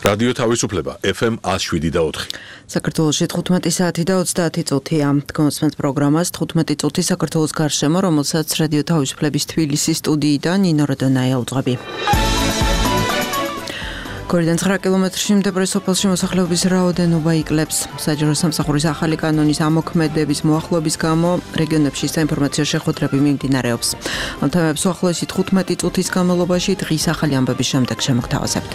რადიო თავისუფლება FM 107.4. საქართველოში 15 საათი და 30 წუთია. თქვენს პროგრამას 15 წუთი საქართველოს გარშემო, რომელსაც რადიო თავისუფლების თბილისის სტუდიიდან ნინო როდონაია უძღვები. Კორიდან 9 კილომეტრში მდებარე სოფელში მოსახლეობის რაოდენობა იკლებს. საჯარო სამსახურის ახალი კანონის ამოქმედების მოახლოების გამო რეგიონებში საინფორმაციო შეხვედრები მიმდინარეობს. ამ თემებს უახლოესი 15 წუთის განმავლობაში დღის ახალი ამბების შემდეგ შემოგთავაზებთ.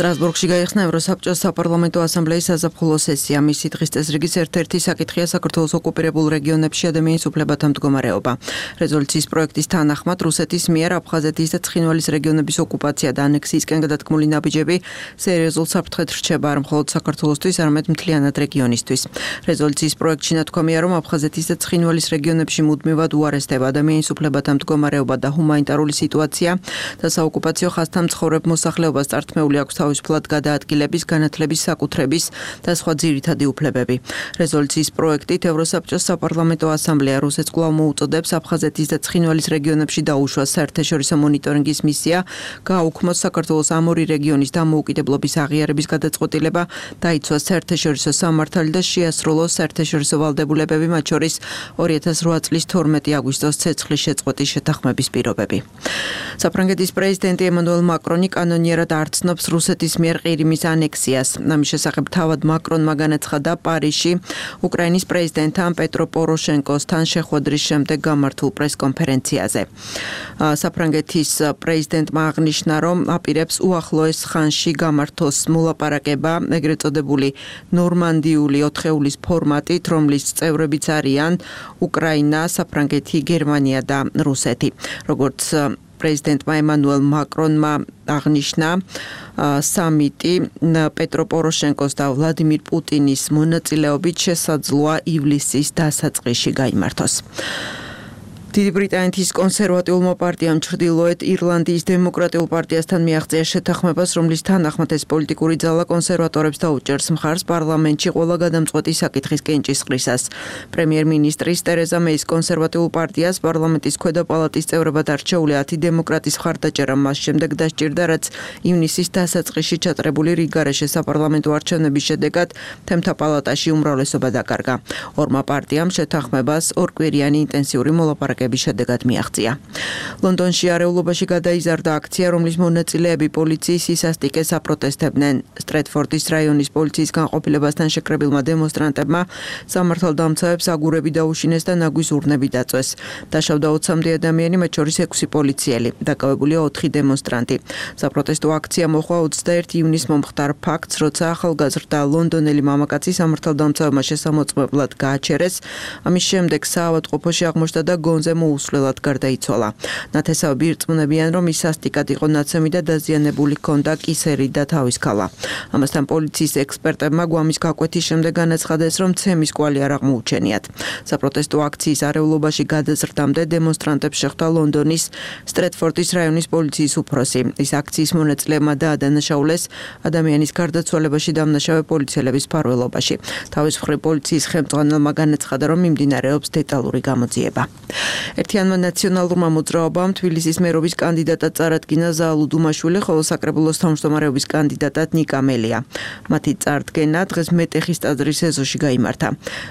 სტრასბურგში გაიხსნა ევროსაბჭოს საპარლამენტო ასამბლეის საზაფხულო სესია. მისი დღის წესრიგის ერთ-ერთი საკითხია საქართველოს ოკუპირებულ რეგიონებში ადამიანის უფლებათა მდგომარეობა. რეზოლუციის პროექტის თანახმად რუსეთის მიერ აფხაზეთის და ცხინვალის რეგიონების ოკუპაცია და ანექსიისკენ გადადგმული ნაბიჯები სერიოზულ საფრთხედ რჩება არ მხოლოდ საქართველოსთვის, არამედ მთლიანად რეგიონისთვის. რეზოლუციის პროექტში ნათქვამია, რომ აფხაზეთის და ცხინვალის რეგიონებში მუდმივად უარესდება ადამიანის უფლებათა მდგომარეობა და ჰუმანიტარული სიტუაცია და საოკუპაციო ხაზთან მცხოვრებ მოსახლეობას წართმეული აქვს თავისუფლად გადაადგილების, განათლების, საკუთრების და სხვა ძირითადი უფლებები. რეზოლუციის პროექტით ევროსაბჭოს საპარლამენტო ასამბლეა რუსეთს კვლავ მოუწოდებს აფხაზეთის და ცხინვალის რეგიონებში დაუშვას საერთაშორისო მონიტორინგის მისია, გააუქმოს საქართველოს ამ ორი რეგიონის დამოუკიდებლობის აღიარების გადაწყვეტილება, დაიცვას საერთაშორისო სამართალი და შეასრულოს საერთაშორისო ვალდებულებები, მათ შორის 2008 წლის 12 აგვისტოს ცეცხლის შეწყვეტის შეთანხმების პირობები. საფრანგეთის პრეზიდენტი ემანუელ მაკრონი კანონიერად არ ცნობს რუსეთის მიერ ყირიმის ანექსიას. ამის შესახებ თავად მაკრონმა განაცხადა პარიზში უკრაინის პრეზიდენტთან პეტრო პოროშენკოსთან შეხვედრის შემდეგ გამართულ პრესკონფერენციაზე. საფრანგეთის პრეზიდენტმა აღნიშნა, რომ აპირებს უახლოეს ხანში გამართოს მოლაპარაკება, ეგრეთ წოდებული ნორმანდიული 4-ეულის ფორმატით, რომლის წევრებიც არიან უკრაინა, საფრანგეთი, გერმანია და რუსეთი. როგორც პრეზიდენტმა ემანუელ მაკრონმა აღნიშნა, სამიტი პეტრო პოროშენკოს და ვლადიმირ პუტინის მონაწილეობით შესაძლოა ივლისის დასაწყისში გაიმართოს. დიდი ბრიტანეთის კონსერვატიულმა პარტიამ ჩრდილოეთ ირლანდიის დემოკრატიულ პარტიასთან მიაღწია შეთანხმებას, რომლის თანახმად ეს პოლიტიკური ძალა კონსერვატორებს დაუჭერს მხარს პარლამენტში ყველა გადამწყვეტი საკითხის კენჭისყრისას. პრემიერ-მინისტრის ტერეზა მეის კონსერვატიულ პარტიას პარლამენტის ქვედა პალატის წევრებად არჩეული 10 დემოკრატის მხარდაჭერა მას შემდეგ დასჭირდა, რაც ივნისის დასაწყისში ჩატარებული რიგგარეშე საპარლამენტო არჩევნების შედეგად თემთა პალატაში უმრავლესობა დაკარგა. ორმა პარტიამ შეთანხმებას ორკვირიანი ინტენსიური მოლაპარაკება შედეგად მიაღწია. ლონდონში არეულობაში გადაიზარდა აქცია, რომლის მონაწილეები პოლიციის სისასტიკეს აპროტესტებდნენ. სტრეტფორდის რაიონის პოლიციის განყოფილებასთან შეკრებილმა დემონსტრანტებმა სამართალდამცავებს აგურები დაუშინეს და ნაგვის ურნები დაწვეს. დაშავდა 20-მდე ადამიანი, მათ შორის 6 პოლიციელი. დაკავებულია 4 დემონსტრანტი. საპროტესტო აქცია მოხდა 21 ივნისს მომხდარ ფაქტს, როცა ახალგაზრდა ლონდონელი მამაკაცი სამართალდამცავებმა შესამოწმებლად გააჩერეს. ამის შემდეგ საავადმყოფოში აღმოჩნდა და გონზე მოუსვლელად გარდაიცვალა. ნათესავები ირწმუნებიან, რომ ის სასტიკად იყო ნაცემი და დაზიანებული ჰქონდა კისერი და თავის ქალა. ამასთან პოლიციის ექსპერტებმა გვამის გაკვეთის შემდეგ განაცხადეს, რომ ცემის კვალი არ აღმოუჩენიათ. საპროტესტო აქციის არეულობაში გადაზრდამდე დემონსტრანტებს შეხვდა ლონდონის სტრეტფორდის რაიონის პოლიციის უფროსი. ის აქციის მონაწილეებმა დაადანაშაულეს ადამიანის გარდაცვალებაში დამნაშავე პოლიციელების მფარველობაში. თავის მხრივ პოლიციის ხელმძღვანელმა განაცხადა, რომ მიმდინარეობს დეტალური გამოძიება. ერთიანმა ნაციონალურმა მოძრაობამ თბილისის მერობის კანდიდატად წარადგინა ზაალუ დუმაშვილი, ხოლო საკრებულოს თავმჯდომარეობის კანდიდატად ნიკა მელია. მათი წარდგენა დღეს მეტეხის ტაძრის ეზოში გაიმართა.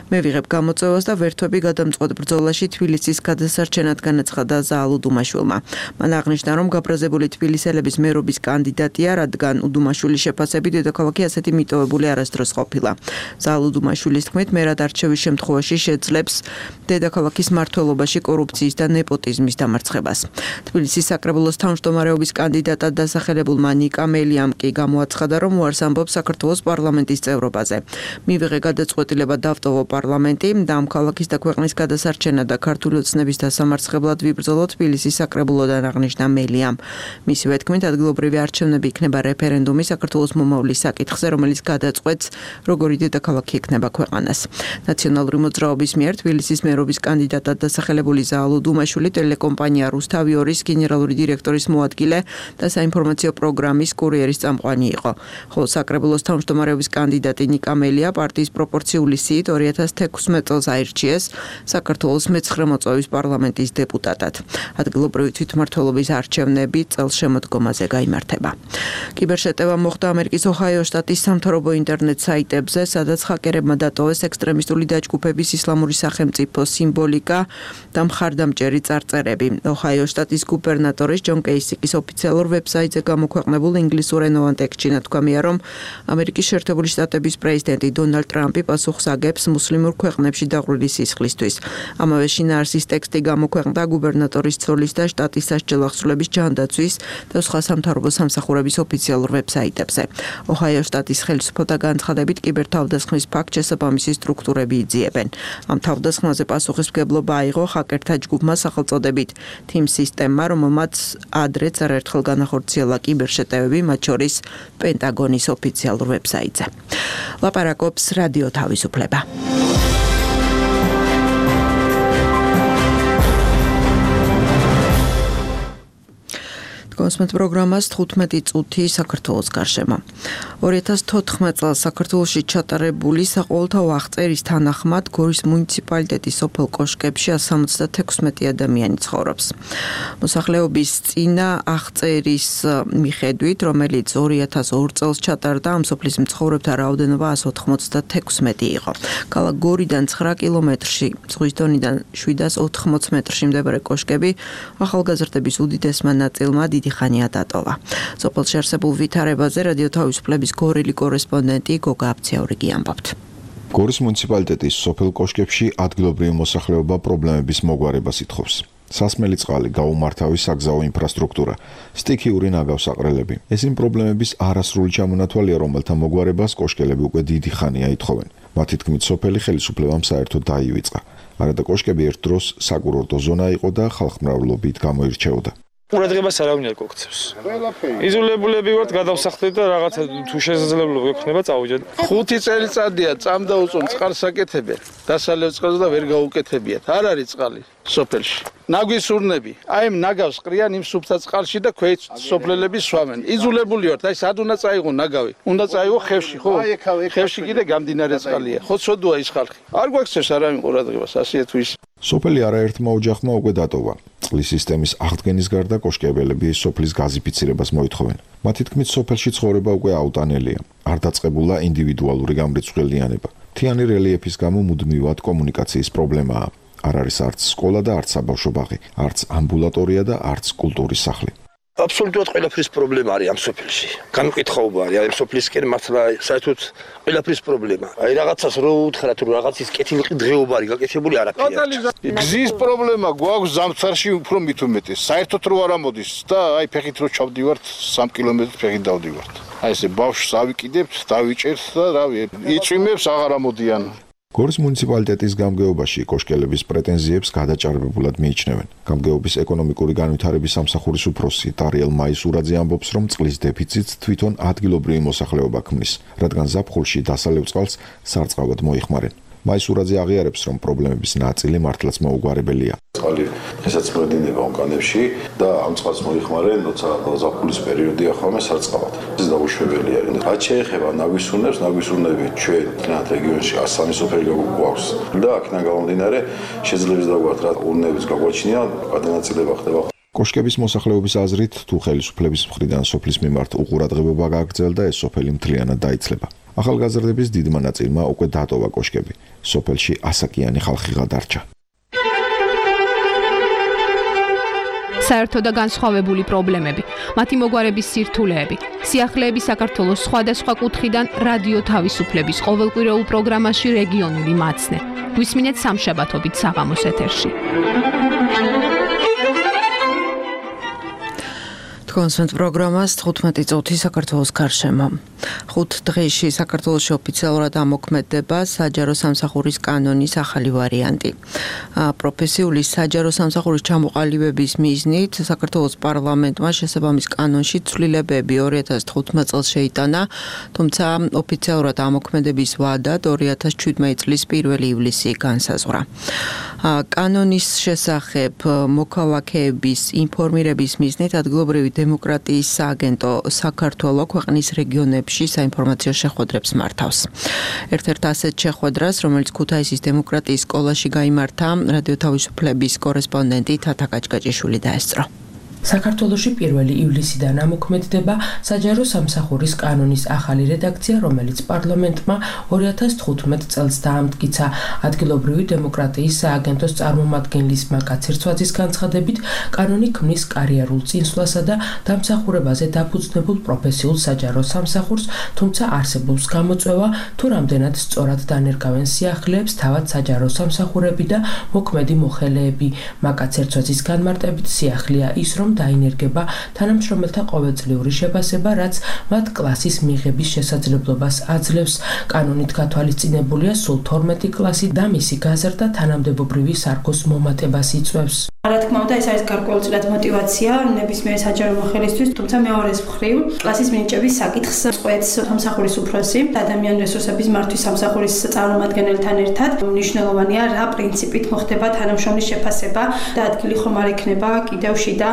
მე ვიღებ გამოწვევას და ვერთვები გადამწყვეტ ბრძოლაში თბილისის გადასარჩენად განაცხადა ზაალუ დუმაშვილმა. მან აღნიშნა, რომ გაბრაზებული თბილისელების მერობის კანდიდატია, რადგან უდუმაშვილის შეფასებით დედაქალაქი ასეთი მიტოვებული არასდროს ყოფილა. ზაალუ დუმაშვილის თქმით, მერად არჩევის შემთხვევაში შეძლებს დედაქალაქის მმართველობაში კორუფციის და ნეპოტიზმის დამარცხებას. თბილისის საკრებულოს თავმჯდომარეობის კანდიდატად დასახელებულმა ნიკა მელიამ კი გამოაცხადა, რომ უარს ამბობს საქართველოს პარლამენტის წევრობაზე. მივიღე გადაწყვეტილება დავტოვო პარლამენტი და ამ ქალაქის და ქვეყნის გადასარჩენა და ქართული ოცნების დასამარცხებლად ვიბრძოლო თბილისის საკრებულოდან, აღნიშნა მელიამ. მისივე თქმით, ადგილობრივი არჩევნები იქნება რეფერენდუმი საქართველოს მომავლის საკითხზე, რომელიც გადაწყვეტს, როგორი დედაქალაქი ექნება ქვეყანას. ნაციონალური მოძრაობის მიერ თბილისის მერობის კანდიდატად დასახელებული მირზა ალუდუმაშვილი, ტელეკომპანია რუსთავი-2-ის გენერალური დირექტორის მოადგილე და საინფორმაციო პროგრამის კურიერის წამყვანი იყო. ხოლო საკრებულოს თავმჯდომარეობის კანდიდატი ნიკა მელია პარტიის პროპორციული სიით 2016 წელს აირჩიეს საქართველოს მე-9 მოწვევის პარლამენტის დეპუტატად. ადგილობრივი თვითმმართველობის არჩევნები წელს შემოდგომაზე გაიმართება. კიბერშეტევა მოხდა ამერიკის ოჰაიო შტატის სამთავრობო ინტერნეტ საიტებზე, სადაც ჰაკერებმა დატოვეს ექსტრემისტული დაჯგუფების ისლამური სახელმწიფო სიმბოლიკა და მხარდამჭერი წარწერები. ოჰაიო შტატის გუბერნატორის ჯონ კეისიკის ოფიციალურ ვებსაიტზე გამოქვეყნებულ ინგლისურენოვან ტექსტში ნათქვამია, რომ ამერიკის შეერთებული შტატების პრეზიდენტი დონალდ ტრამპი პასუხს აგებს მუსლიმურ ქვეყნებში დაღვრილი სისხლისთვის. ამავე შინაარსის ტექსტი გამოქვეყნდა გუბერნატორის ცოლის და შტატის სასჯელ ახსნილების ჯანდაცვის და სხვა სამთავრობო სამსახურების ოფიციალურ ვებსაიტებზე. ოჰაიო შტატის ხელისუფლება განცხადებით კიბერთავდასხმის ფაქტს შესაბამისი სტრუქტურები იძიებენ. ამ თავდასხმაზე პასუხისმგებლობა აიღო ჰაკერთა ჯგუფმა სახელწოდებით Team სისტემა, რომელმაც ადრეც არაერთხელ განახორციელა კიბერშეტევები, მათ შორის პენტაგონის ოფიციალურ ვებსაიტზე. ლაპარაკობს რადიო თავისუფლება. კონსმეთ პროგრამას 15 წუთი საქართველოს გარშემო. 2014 წელს საქართველოში ჩატარებული საყოველთაო აღწერის თანახმად გორის მუნიციპალიტეტის სოფელ კოშკებში 176 ადამიანი ცხოვრობს. მოსახლეობის წინა აღწერის მიხედვით, რომელიც 2002 წელს ჩატარდა, ამ სოფლის მცხოვრებთა რაოდენობა 196 იყო. ქალაქ გორიდან 9 კილომეტრში, ზღვის დონიდან 780 მეტრში მდებარე კოშკები ახალგაზრდების უდიდესმა ნაწილმა დიდი ხანია დატოვა. სოფელში არსებულ ვითარებაზე რადიო თავისუფლების გორელი კორესპონდენტი გოგა აფციაურიგი ამბობთ. გორის მუნიციპალიტეტის სოფელ კოშკებში ადგილობრივი მოსახლეობა პრობლემების მოგვარებას ითხოვს. სასმელი წყალი, გაუმართავი საგზაო ინფრასტრუქტურა, სტიქიური ნაგავსაყრელები. ეს იმ პრობლემების არასრული ჩამონათვალია, რომელთა მოგვარებას კოშკელები უკვე დიდი ხანია ითხოვენ. მათი თქმით, სოფელი ხელისუფლებამ საერთოდ დაივიწყა. არადა კოშკები ერთ დროს საკურორტო ზონა იყო და ხალხმრავლობით გამოირჩეოდა. ყურადღებას არავინ არ გოგცევს. იზოლებულები ვართ, გადავსახლეთ და რაღაცა თუ შესაძლებლობა გექნება წავიდეთ. 5 წელიწადია წამდა უწონ წყალს აკეთებენ. დასალევ წყალს და ვერ გაუკეთებიათ. არ არის წყალი სოფელში. ნაგვისურნები, აი ამ ნაგავს ყრიან იმ სუფთა წყალში და ქვეით სოფლელები სვამენ. იზოლებული ვართ, აი სად უნდა წაიღო ნაგავი? უნდა წაიღო ხევში, ხო? ხევში კიდე გამდინარე წყალია. ხო ცოდოა ის ხალხი. არ გვაქცევს არავინ ყურადღებას, ასეა თუ ის. სოფელი არაერთმა ოჯახმა უკვე დატოვა. წყლის სისტემის აღდგენის გარდა კოშკებელები სოფლის გაზიფიცირებას მოითხოვენ. მათი თქმით, სოფელში ცხოვრება უკვე აუტანელია. არ დაწყებულა ინდივიდუალური გამრიცხველიანება. მთიანი რელიეფის გამო მუდმივად კომუნიკაციის პრობლემაა. არ არის არც სკოლა და არც საბავშვო ბაღი, არც ამბულატორია და არც კულტურის სახლი. აბსოლუტურად ყველაფრის პრობლემა არის ამ სოფელში. განუკითხაობა არის ამ სოფლისკენ მართლა საერთოდ ყველაფრის პრობლემა. აი რაღაცას რო უთხრათ, რომ რაღაცის კეთილი დღეობა არის გაკეთებული არაფერია. გზის პრობლემა გვაქვს ზამთარში უფრო მით უმეტეს. საერთოდ რო არ ამოდის და აი ფეხით რო ჩავდივართ 3 კილომეტრს ფეხით დავდივართ. აი ესე ბავშვს ავიკიდებთ, დავიჭერთ და რავი, იწვიმებს აღარ ამოდიან. გორის მუნიციპალიტეტის გამგეობაში კოშკელების პრეტენზიებს გადაჭარბებულად მიიჩნევენ. გამგეობის ეკონომიკური განვითარების სამსახურის უფროსი დარიელ მაისურაძე ამბობს, რომ წყლის დეფიციტს თვითონ ადგილობრივი მოსახლეობა ქმნის, რადგან ზაფხულში დასალევ წყალს სარწყავად მოიხმარენ. მაისურაძე აღიარებს, რომ პრობლემების ნაწილი მართლაც მოუგვარებელია. წყალი დღესაც მოედინება ონკანებში და ამ წყალს მოიხმარენ, როცა ზაფხულის პერიოდია ხოლმე სარწყავად. ეს დაუშვებელია. რაც შეეხება ნაგვისურნები ჩვენ თნათ რეგიონში 103 სოფელი გვაქვს და აქედან გამომდინარე შეძლებს დაგვართ რა ურნების გაგვაჩნია, გადანაწილება ხდება. კოშკების მოსახლეობის აზრით, თუ ხელისუფლების მხრიდან სოფლის მიმართ უყურადღებობა გააგრძელდა, ეს სოფელი მთლიანად დაიცლება. ახალგაზრდების დიდმა ნაწილმა უკვე დატოვა კოშკები. სოფელში ასაკიანი ხალხი გადარჩა. საერთო და განსხვავებული პრობლემები, მათი მოგვარების სირთულეები, სიახლეები საქართველოს სხვადასხვა კუთხიდან რადიო თავისუფლების ყოველკვირეულ პროგრამაში რეგიონული მაცნე. გვისმინეთ სამშაბათობით საღამოს ეთერში. გონსვენთ პროგრამას 15 წუთი საქართველოს გარშემო. 5 დღეში საქართველოში ოფიციალურად ამოქმედება საჯარო სამსახურის კანონის ახალი ვარიანტი. პროფესიული საჯარო სამსახურის ჩამოყალიბების მიზნით საქართველოს პარლამენტმა შესაბამის კანონში ცვლილებები 2015 წელს შეიტანა, თუმცა ოფიციალურად ამოქმედების ვადად 2017 წლის 1 ივლისი განსაზღვრა. კანონის შესახებ მოქალაქეების ინფორმირების მიზნით ადგილობრივი დემოკრატიის სააგენტო საქართველო ქვეყნის რეგიონებში საინფორმაციო შეხვედრებს მართავს. ერთ-ერთ ასეთ შეხვედრას, რომელიც ქუთაისის დემოკრატიის სკოლაში გაიმართა, რადიო თავისუფლების კორესპონდენტი თათა კაჭკაჭიშვილი დაესწრო. საქართველოში 1 ივლისიდან ამოქმედდება საჯარო სამსახურის კანონის ახალი რედაქცია, რომელიც პარლამენტმა 2015 წელს დაამტკიცა. ადგილობრივი დემოკრატიის სააგენტოს წარმომადგენლის მაკაც ერცვაძის განცხადებით, კანონი ქმნის კარიერულ წინსვლასა და დამსახურებაზე დაფუძნებულ პროფესიულ საჯარო სამსახურს, თუმცა არსებობს გამოწვევა, თუ რამდენად სწორად დანერგავენ სიახლეებს თავად საჯარო სამსახურები და მოქმედი მოხელეები. მაკაც ერცვაძის განმარტებით სიახლეა ის, რომ დაინერგება თანამშრომელთა ყოველწლიური შეფასება, რაც მათ კლასის მიღების შესაძლებლობას აძლევს. კანონით გათვალისწინებულია სულ 12 კლასი და მისი გაზრდა თანამდებობრივი სარგოს მომატებას იწვევს. რა თქმა უნდა, ეს არის გარკვეულწილად мотиваცია ნებისმიერი საჯარო მოხელისთვის, თუმცა მეორეს მხრივ კლასის მინიჭების საკითხს წყვეტს სამსახურის უფროსი. ადამიანური რესურსების მართვის სამსახურის წარმომადგენელთან ერთად მნიშვნელოვანია, რა პრინციპით მოხდება თანამშრომლის შეფასება და ადგილი ხომ არ ექნება კიდევ შიდა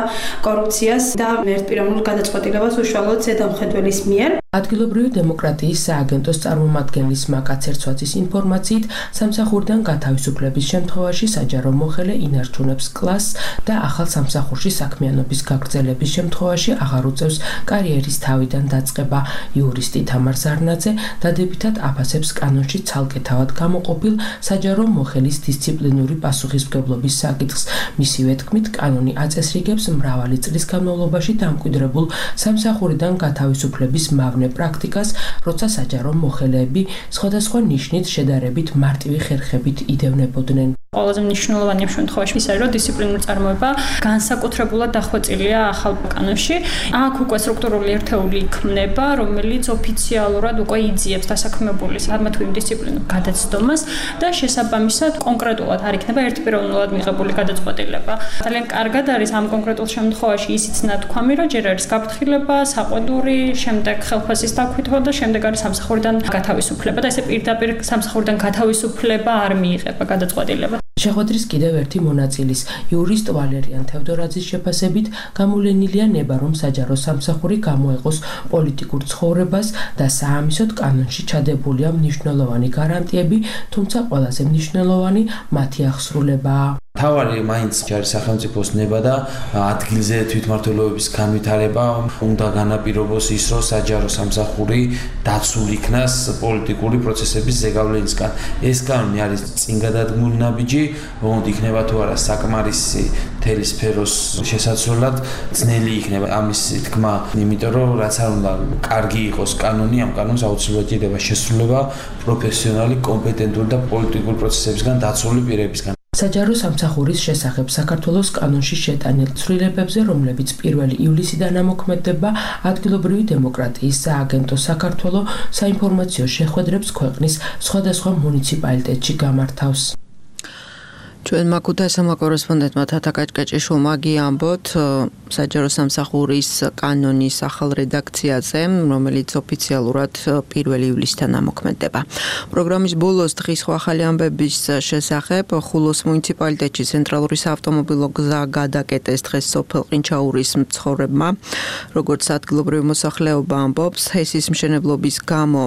კორუფციას და ერთპიროვნულ გადაწყვეტილებას უშუალოდ ზედამხედველის მიერ. ადგილობრივი დემოკრატიის სააგენტოს წარმომადგენლის მაკაც ერცვაძის ინფორმაციით, სამსახურიდან გათავისუფლების შემთხვევაში საჯარო მოხელე ინარჩუნებს კლასს და ახალ სამსახურში საქმიანობის გაგრძელების შემთხვევაში აღარ უწევს კარიერის თავიდან დაწყება. იურისტი თამარ ზარნაძე დადებითად აფასებს კანონში ცალკე თავად გამოყოფილ საჯარო მოხელის დისციპლინური პასუხისმგებლობის საკითხს. მისივე თქმით, კანონი აწესრიგებს მრავალი წლის განმავლობაში დამკვიდრებულ სამსახურიდან გათავისუფლების მავნე პრაქტიკას, როცა საჯარო მოხელეები სხვადასხვა ნიშნით შედარებით მარტივი ხერხებით იდევნებოდნენ. ყველაზე მნიშვნელოვანი ამ შემთხვევაში ის არის, რომ დისციპლინური წარმოება განსაკუთრებულად დახვეწილია ახალ კანონში. აქ უკვე სტრუქტურული ერთეული იქმნება, რომელიც ოფიციალურად უკვე იძიებს დასაქმებული საქმე თუ იმ დისციპლინურ გადაცდომას და შესაბამისად კონკრეტულად არ იქნება ერთპიროვნულად მიღებული გადაწყვეტილება. ძალიან კარგად არის ამ კონკრეტულ შემთხვევაში ისიც ნათქვამი, რომ ჯერ არის გაფრთხილება, საყვედური, შემდეგ ხელფასის დაქვითვა და შემდეგ არის სამსახურიდან გათავისუფლება და ესე პირდაპირ სამსახურიდან გათავისუფლება არ მიიღება გადაწყვეტილება. შეხვედრის კიდევ ერთი მონაწილის, იურისტ ვალერიან თევდორაძის შეფასებით, გამოვლენილია ნება, რომ საჯარო სამსახური გამოეყოს პოლიტიკურ ცხოვრებას და საამისოდ კანონში ჩადებულია მნიშვნელოვანი გარანტიები, თუმცა ყველაზე მნიშვნელოვანი მათი აღსრულებაა. თავარი მაინც არის სახელმწიფოს ნება და ადგილზე თვითმმართველობის განვითარება უნდა განაპირობოს ის, რომ საჯარო სამსახური დაცულ იქნას პოლიტიკური პროცესების ზეგავლენისგან. ეს კანონი არის წინ გადადგმული ნაბიჯი, მოდი იქნება თუ არა საკმარისი მთელი სფეროს შესაცვლელად ძნელი იქნება ამის თქმა, იმიტომ რომ რაც არ უნდა კარგი იყოს კანონი, ამ კანონს აუცილებლად ჭირდება შესრულება პროფესიონალი, კომპეტენტური და პოლიტიკური პროცესებისგან დაცული პირებისგან. საჯარო სამსახურის შესახებ საქართველოს კანონში შეტანილ ცვლილებებზე, რომლებიც 1 ივლისიდან ამოქმედება, ადგილობრივი დემოკრატიის სააგენტო საქართველო საინფორმაციო შეხვედრებს ქვეყნის სხვადასხვა მუნიციპალიტეტში გამართავს. ჩვენ ქუთაისელმა კორესპონდენტმა თათა კაჭკაჭიშვილმა გიამბოთ საჯარო სამსახურის კანონის ახალ რედაქციაზე, რომელიც ოფიციალურად 1 ივლისიდან ამოქმედება. პროგრამის ბოლოს დღის ახალი ამბების შესახებ ხულოს მუნიციპალიტეტში ცენტრალური საავტომობილო გზა გადაკეტეს დღეს სოფელ ყინჩაურის მცხოვრებმა. როგორც ადგილობრივი მოსახლეობა ამბობს, ჰესის მშენებლობის გამო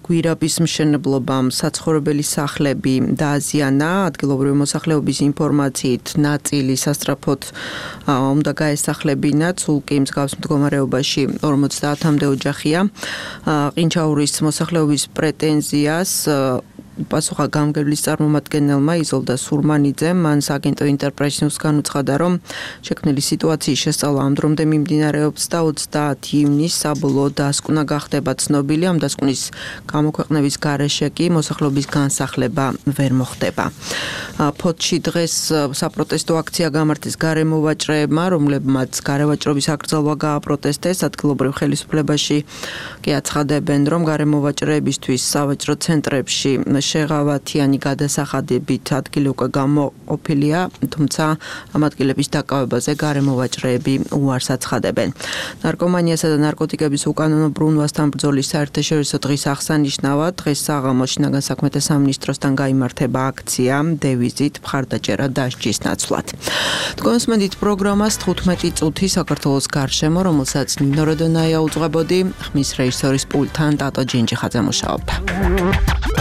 გვირაბის მშენებლობამ საცხოვრებელი სახლები დააზიანა. ადგილობრივი მოსახლეობის ინფორმაციით ნაწილი სასწრაფოდ უნდა გაესახლებინათ, სულ კი მსგავს მდგომარეობაში 50-მდე ოჯახია. ყინჩაურის მოსახლეობის პრეტენზიას პასუხა გამგებლის წარმომადგენელმა იზოლდა სურმანიძემ, მან სააგენტო ინტერპრესიუს განუცხადა, რომ შექმნილი სიტუაციის შესწავლა ამ დრომდე მიმდინარეობს და 30 ივნისს საბოლოო დასკვნა გახდება ცნობილი. ამ დასკვნის გამოქვეყნების გარეშე კი მოსახლეობის განსახლება ვერ მოხდება. ფოთში დღეს საპროტესტო აქცია გამართეს გარემოვაჭრეებმა, რომლებმაც გარევაჭრობის აკრძალვა გააპროტესტეს. ადგილობრივ ხელისუფლებაში კი აცხადებენ, რომ გარემოვაჭრეებისთვის სავაჭრო ცენტრებში შეღავათიანი გადასახადებით ადგილი უკვე გამოყოფილია, თუმცა ამ ადგილების დაკავებაზე გარემოვაჭრეები უარს აცხადებენ. ნარკომანიასა და ნარკოტიკების უკანონო ბრუნვასთან ბრძოლის საერთაშორისო დღის აღსანიშნავად დღეს საღამოს შინაგან საქმეთა სამინისტროსთან გაიმართება აქცია დევიზით მხარდაჭერა დასჯის ნაცვლად. თქვენსმენდით პროგრამას 15 წუთი საქართველოს გარშემო, რომელსაც ნინო როდონაია უძღვებოდი, ხმის რეჟისორის პულტთან ტატო ჯინჯიხაძე მუშაობდა.